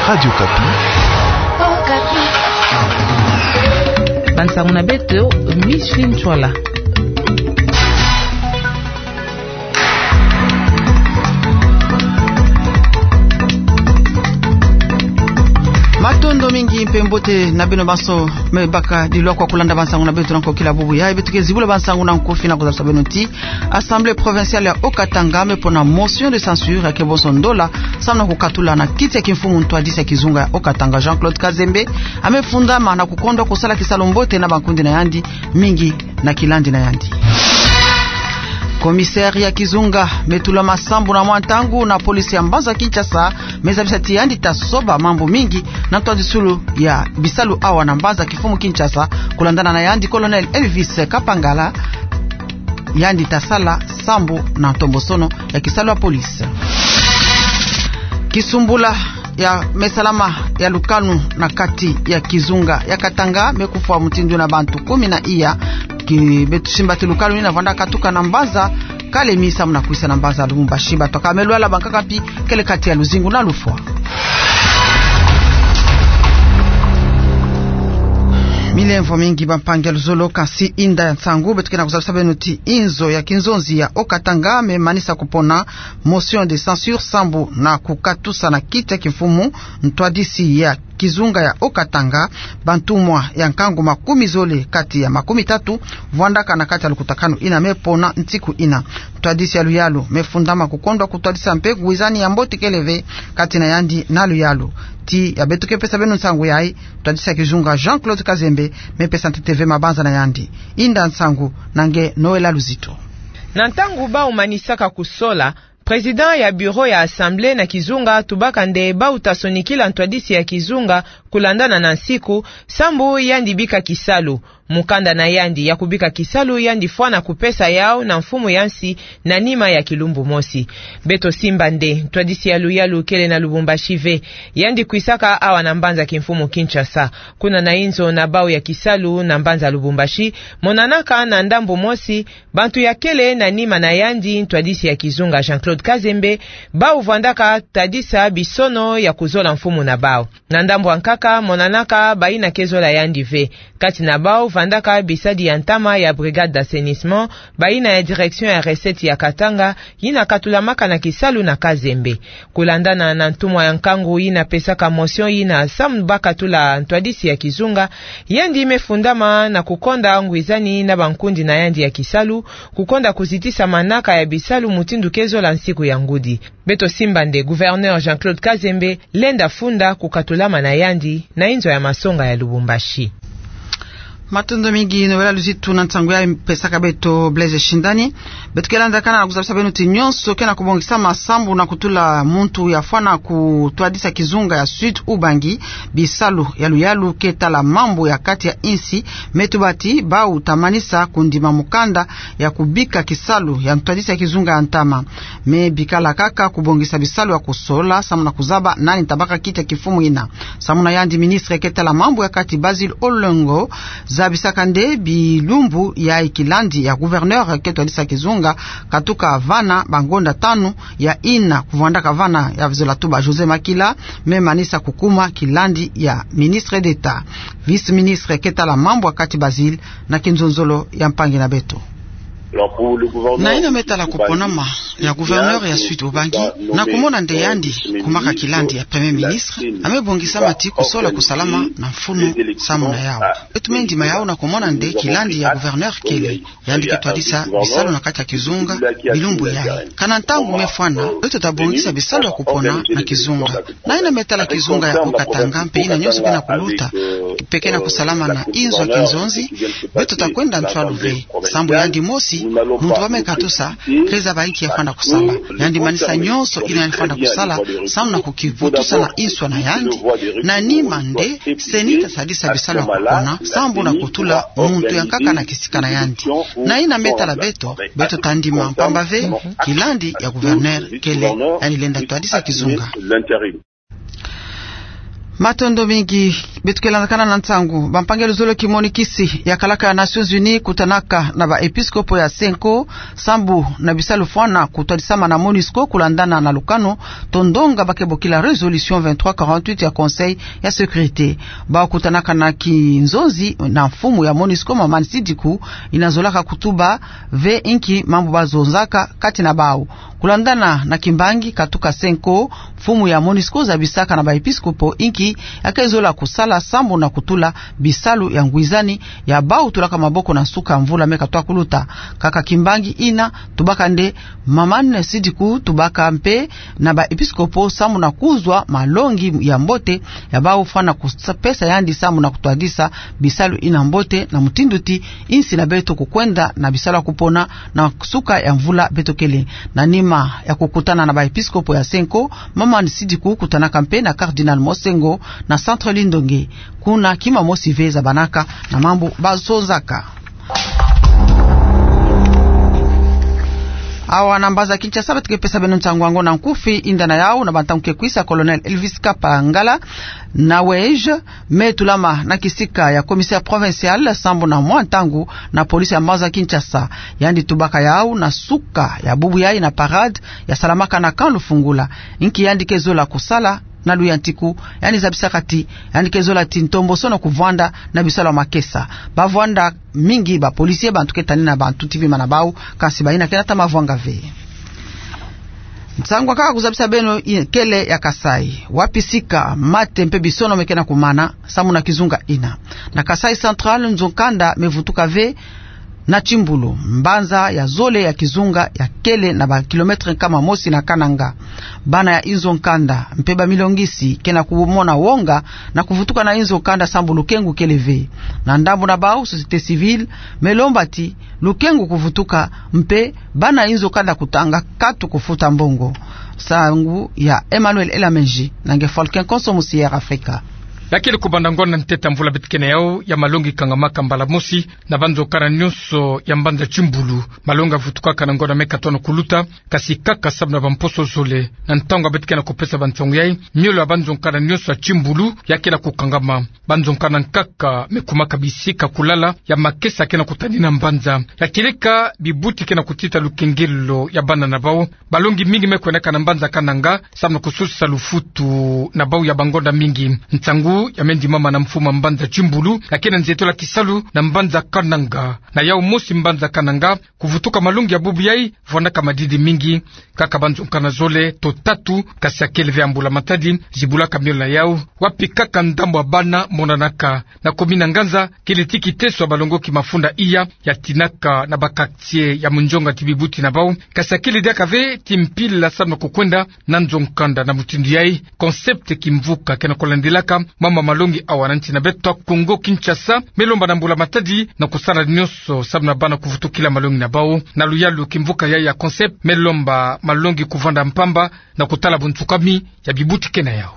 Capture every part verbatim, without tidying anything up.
Radio Okapi. Bansangu na beto, Micheline Ntsoila. Matondo mingi mpe mbote na beno banso me baka dilwa kwa kulanda bansangu na beto na nkokila bubu. Ya beto ke zibula bansangu na nkofi na kuzabisa beno ti Assemblée provinciale ya Haut-Katanga me pona motion de censure ya kebonso ndola samu na kukatula na kiti ya kimfumu ntwadisi ya kizunga ya Haut-Katanga, Jean-Claude Kazembe, ame fundama na kukondwa kusala kisalu mbote na bankundi na yandi, mingi na kilandi na yandi. Commissaire ya kizunga me tulama sambu na mwa ntangu na police ya mbanza Kinshasa, me zabisa ti yandi ta soba mambu mingi na ntwadisulu ya bisalu awa na mbanza kimfumu Kinshasa, kulandana na yandi Colonel Elvis Kapangala, yandi ta sala sambu na ntombosono ya kisalu ya police. Kisumbula ya me salama ya lukanu na kati ya kizunga ya Katanga me kufwa mutindu na bantu kumi na iya. Ki beto simba ti lukanu yina vwanda katuka na mbanza Kalemi samu na kwisa na mbanza Lubumbashi. Bato kaka me lwala, bankaka mpi kele kati ya luzingu na lufwa. Milemvo mingi bampangi ya luzolo, kasi inda ya nsangu beto ke na kuzabisa beno ti inzo ya kinzonzi ya Haut-Katanga me manisa kupona motion de censure sambu na kukatusa na kiti ya kimfumu ntwadisi ya kizunga ya Haut-Katanga bantumwa ya nkangu makumi zole kati ya makumi tatu vwandaka na kati ya lukutakanu yina me pona nsiku yina. Ntwadisi ya luyalu me fundama kukondwa kutwadisa mpe ngwizani ya mbote kele ve kati na yandi na luyalu. Ti ya beto ke pesa beno nsangu yayi, ntwadisi ya kizunga Jean-Claude Kazembe me pesa ntete ve mabanza na yandi. Inda nsangu na nge Noëlla Luzito. Na ntangu bau manisaka kusola, président ya bureau ya Assemblée na kizunga tubaka nde bau ta sonikila ntwadisi ya kizunga kulandana na nsiku, sambu yandi bika kisalu. Mukanda na yandi ya kubika kisalu yandi fwana kupesa yau na mfumu ya nsi na nima ya kilumbu mosi. Beto simba nde ntwadisi ya luyalu kele na Lubumbashi ve. Yandi kwisaka awa na mbanza kimfumu Kinshasa. Kuna na inzo na bau ya kisalu na mbanza Lubumbashi, monanaka na ndambu mosi bantu ya kele na nima na yandi ntwadisi ya kizunga Jean-Claude Kazembe, bau vwandaka tadisa bisono ya kuzola mfumu na bau. Na ndambu ya nkaka, monanaka bayina ke zola yandi ve. Kati na bau vandaka bisadi ya ntama ya brigade d'assainissement, bayina ya direction ya recettes ya Katanga, yina katulamaka na kisalu na Kazembe. Kulandana na ntumwa ya nkangu yina pesaka motion yina samu ba katula ntwadisi ya kizunga, yandi me fundama na kukonda ngwizani na bankundi na yandi ya kisalu, kukonda kuzitisa manaka ya bisalu mutindu ke zola nsiku ya ngudi. Beto simba nde gouverneur Jean-Claude Kazembe lenda funda kukatulama na yandi na inzo ya masonga ya Lubumbashi. Matondo mingi, Noëlla Luzitu, na nsangu yayi pesaka beto Blaise Shindani. Beto ke landakana na kuzabisa beno ti nyonso ke na kubongisama sambu na kutula muntu ya fwana kutwadisa kizunga ya Sud Ubangi bisalu ya luyalu ke tala mambu ya kati ya insi, me tuba ti bau ta manisa kundima mukanda ya kubika kisalu ya ntwadisi ya kizunga ya ntama. Me bikala kaka kubongisa bisalu ya kusola samu na kuzaba nani ta baka kiti ya kifumu yina. Samu na yandi, ministre ke tala mambu ya kati Basil Olengo zabisaka nde bilumbu yayi kilandi ya gouverneur ke twadisa kizunga katuka vana bangonda tanu, ya yina kuvwandaka vana ya zola tuba Josée Makila, me manisa kukuma kilandi ya ministre d'État. Vice-ministre ke tala mambu ya kati Basil na kinzonzolo ya mpangi na beto. Na yina me tala kuponama ya gouverneur ya Sud Ubangi, na kumona nde yandi kumaka kilandi ya premier ministre, ame bongisama ti kusola kusalama na mfunu samu na yau. Beto me ndima yau na kumona nde kilandi ya gouverneur kele, yandi ke twadisa bisalu na kati ya kizunga bilumbu yayi. Kana ntangu me fwana, beto ta bongisa bisalu ya kupona na kizunga. Na yina me tala kizunga ya Haut-Katanga mpe yina nyonso ke na kuluta, mpe ke na kusalama na inzo ya kinzonzi, beto ta kwenda ntwalu ve. Sambu yandi mosi, muntu ba me katusa, ke zaba inki ya fwana kusala. Yandi manisa nyonso yina yandi fwana kusala samu na kukivutusa na inswa na yandi. Na nima nde CENI ta sadisa bisalu ya kupona sambu na kutula muntu ya nkaka na kisika na yandi. Na yina me tala beto, beto ta ndima mpamba ve kilandi ya gouverneur kele, yandi lenda twadisa kizunga. Matondo mingi. Beto ke landakana na nsangu. Bampangi ya luzolo kimonikisi ya kalaka ya Nations Unies kutanaka na baepiskopo ya Cenco, sambu na bisalu fwana kutwadisama na MONUSCO kulandana na lukanu to ndonga ba ke bokila résolution vingt-trois quarante-huit ya Conseil ya sécurité. Bau kutanaka na kinzonzi na mfumu ya MONUSCO, Maman Sidiku, ina zolaka kutuba ve inki mambu bazonzaka kati na bau. Kulandana na kimbangi katuka Cenco, mfumu ya MONUSCO zabisaka na baepiskopo inki ya ke zola kusala sambu na kutula bisalu ya ngwizani ya bau tulaka maboko na nsuka mvula me katwa kuluta. Kaka kimbangi ina, tubaka nde Maman Sidiku, tubaka mpe na baepiskopo sambu na kuzwa malongi ya mbote ya bau fwana kupesa yandi sambu na kutwadisa bisalu ina mbote na mutindu ti insi na beto kukwenda na bisalu ya kupona na nsuka ya mvula beto kele. Na nima ya kukutana na baepiskopo ya Cenco, Maman Sidiku kutanaka mpe na Cardinal Monsengwo na Centre Lindonge. Kuna kima mosi ve zabanaka na mambu bazonzaka. Awa na mbanza Kinshasa beto ke pesa beno nsangu yango na nkufi. Inda na yau, na bantangu ke kwisa, Colonel Elvis Kapangala, na weje, me tulama na kisika ya commissaire provincial sambu na mwa ntangu na police ya mbanza Kinshasa. Yandi tubaka yau na suka ya bubu yai na parade yasalamaka na Camp Lufungula. Inki yandi ke zola kusala na luyantiku, yandi zabisaka ti yandi ke zola ti ntombosono kuvwanda na bisalu ya makesa. Bavwanda mingi ba policiers, bantu ke tani na bantu ti bima na bau, kasi bayina ke nata mavwanga ve. Nsangu ya nkaka kuzabisa beno i-, kele ya Kasaï, wapi sika mate mpe bisono me ke na kumana sambu na kizunga ina. Na Kasaï Central, nzo-nkanda me vutuka ve na Kimbulu, mbanza ya zole ya kizunga ya kele na ba kilomètre nkama mosi na Kananga. Bana ya inzo-nkanda mpe bamilongisi ke na kumona wonga na kuvutuka na inzo-nkanda sambu lukengu kele ve. Na ndambu na bau, société civile me lomba ti lukengu kuvutuka mpe bana inzo-nkanda kutanga katu kufuta mbongo. Nsangu ya Emmanuel Elameji na nge Falcon Konso mu Sierra Africa. Ya kele kubanda ngonda ntete ya mvula beto ke na yau ya malongi kangamaka mbala mosi na banzo-nkanda nyonso ya mbanza Kimbulu. Malongi yavutukaka na ngonda me katwa na kuluta, kasi kaka sambu na bamposo zole. Na ntangu beto ke na kupesa bansangu yai, miolo ya banzo-nkanda nyonso ya Kimbulu ya ke na kukangama. Banzo-nkanda nkaka me kumaka bisika kulala ya makesa ke na kutani na mbanza. Ya kieleka, bibuti ke na kutita lukengelo ya bana na bau. Balongi mingi me kwendaka na mbanza Kananga sambu na kususisa lufutu na bau ya bangonda mingi. Nsangu ya me ndimama na mfumu ya mbanza Kimbulu, ya ke na nzietolo ya kisalu na mbanza Kananga. Na yau mosi mbanza Kananga, kuvutuka malongi ya bubu yai, vwandaka madidi mingi. Kaka banzo-nkanda zole to tatu, kasi ya kele ve ya mbula-matadi, zibulaka miolo na yau. Wapi kaka ndambu ya bana monanaka. Na commune ya Nganza, kele ti kiteso ya balongoki mafunda iya ya tinaka na ba quartier ya munzonga ti bibuti na bau, kasi ya kele diaka ve ti mpila sambu na kukwenda na nzo-nkanda. Na mutindu yai, Concept Kimvuka ke na kulandilaka mambu ya malongi awa na nsi na beto Kongo Kinshasa, me lomba na mbula-matadi na kusala nyonso sambu na bana kuvutukila malongi na bau. Na luyalu, Kimvuka yai ya Concept me lomba malongi kuvwanda mpamba na kutala bunsukami ya bibuti ke na yau.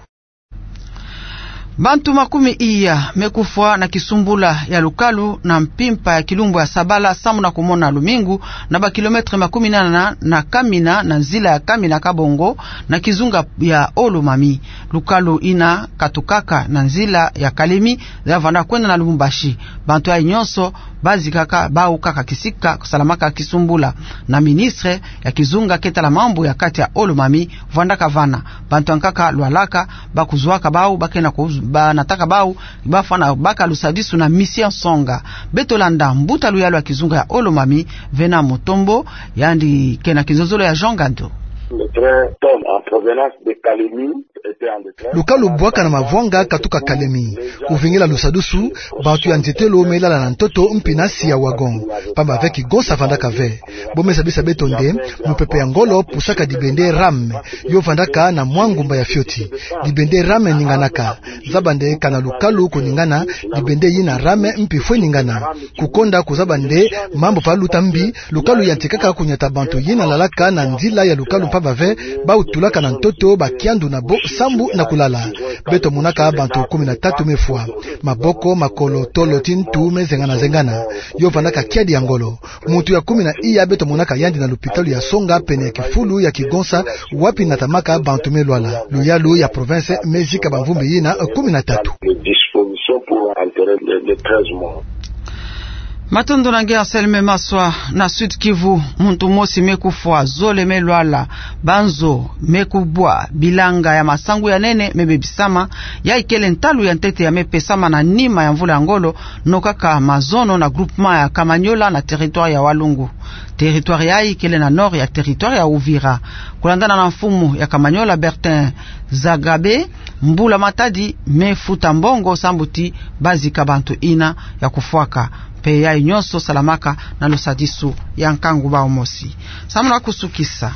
Bantu makumi iya me kufwa na kisumbula ya lukalu na mpimpa ya kilumbu ya Sabala sambu na kumona lumingu, na ba kilomètre makumi nana na Kamina, na nzila ya Kamina-Kabongo, na kizunga ya Haut-Lomami. Lukalu ina katukaka na nzila ya Kalemi, ya vanda kwenda na Lubumbashi. Bantu yai nyonso bazikaka bau kaka kisika kusalamaka kisumbula. Na ministre ya kizunga ke tala mambu ya kati ya Haut-Lomami vandaka vana. Bantu ya nkaka lwalaka, ba kuzwaka bau, ba ke na ku-, ba nataka bau, ba fwana baka lusadisu na Mission Songa. Beto landa mbuta luyalu ya kizunga ya Haut-Lomami, Venant Mutombo, yandi ke na kinzonzolo ya Jean Gandu. Le train tombe en provenance de Kalemi. Lukalu bwaka na mavwanga katuka Kalemi. Kuvingila lusadisu, bantu ya nzietelo me lala na ntoto mpi na nsi ya wagon. Pamba ve kigonsa vandaka ve. Bo me zabisa beto nde, mupepe ya ngolo pusaka dibende rame, yo vandaka na mwa ngumba ya fioti. Dibende rame ninganaka. Zaba nde kana lukalu kuningana, dibende yina rame mpi fwe ningana. Kukonda kuzaba nde mambu va luta mbi, lukalu yantikaka kunyata bantu yina lalaka na nzila ya lukalu mpamba ve, bau tulaka na ntoto ba kiandu na bo sambu na kulala. Beto monaka bantu kumi na tatu mefwa. Maboko, makolo, tolo, ti ntu mezengana-zengana. Yo vandaka kiadi ya ngolo. Muntu ya kumi na iya beto monaka yandi na lupitalu ya Songa pene ya kifulu ya Kigonsa, wapi natamaka bantu melwala. Luyalu ya province mezika bamvumbi yina kumi na tatu. Matondo na nge Anselme Maswa. Na Sud-Kivu, muntu mosi mekufwa, zole melwala, banzo mekubwa, bilanga ya masangu ya nene mebebisama. Yayi kele ntalu ya ntete ya mepesama na nima ya mvula ya ngolo, nokaka mazono na groupement ya Kamanyola na territoire ya Walungu. Territoire yayi kele na nord ya territoire ya Uvira. Kulandana na mfumu ya Kamanyola, Bertin Zagabe, mbula matadi mefuta mbongo sambu ti bazika bantu yina ya kufwaka. Mpe yayi nyonso salamaka na lusadisu ya nkangu bau mosi. Sambu na kusukisa,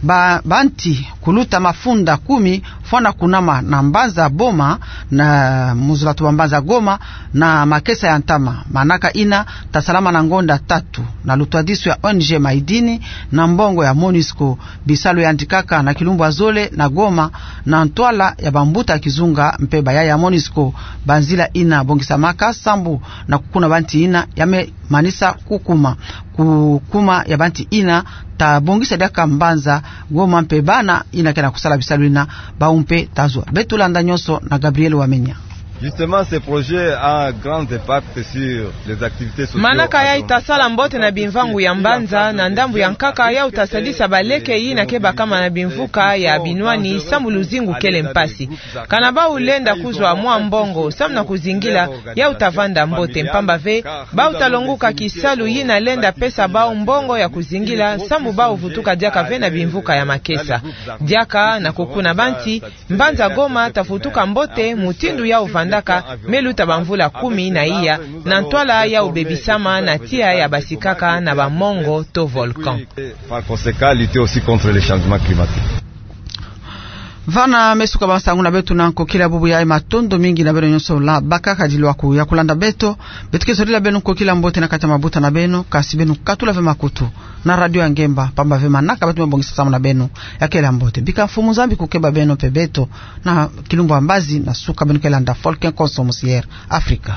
ba, banti kuluta mafunda kumi fwana kunama na mbanza Boma, na muzula tuba mbanza Goma, na makesa ya ntama. Manaka yina tasalama na ngonda tatu na lutwadisu ya O N G Maidini na mbongo ya MONUSCO. Bisalu yandikaka na kilumbu ya zole na Goma, na ntwala ya bambuta kizunga mpe bayaya ya MONUSCO. Banzila yina bongisamaka sambu na kukuna banti yina ya memanisa kukuma. Kukuma ya banti yina tabongisa diaka mbanza Goma mpe bana yina ke na kusala bisalu yina, bau mpe tazwa. Beto landa nyonso na Gabriel Wamenya. Justement, ce projet a un grand impact sur les activités socio-économiques. Manaka yayi tasala mbote na bimvangu ya mbanza, na ndambu ya nkaka yayi tasadisa baleke yina ke bakama na bimvuka ya binwani sambu luzingu kele mpasi. Kana bau lenda kuzwa mwa mbongo sambu na kuzingila, yayi tavanda mbote, mpamba ve bau talonguka kisalu yina lenda pesa bau mbongo ya kuzingila sambu bau vutuka diaka ve na bimvuka ya makesa. Diaka na kukuna banti, mbanza Goma tavutuka mbote mutindu yayi vandaka meluta bamvula kumi na iya, na ntwala yayi bebisama na tiya ya basikaka na bamongo to volcan. Par conséquent, lutter aussi contre les changements climatiques. Vana mesuka bansangu na beto na nkokila bubu yayi. Matondo mingi na beno nyonso la bakaka dilwaku ya kulanda beto. Beto ke zolila beno nkokila mbote na kati ya mabuta na beno, kasi beno katula ve makutu na radio ya ngemba, mpamba ve manaka beto mebongisa samu na beno ya kele ya mbote. Bika Mfumu Nzambi kukeba beno mpe beto na kilumbu ya mbazi, na suka beno ke landa Folk Nkonso Musier Afrika.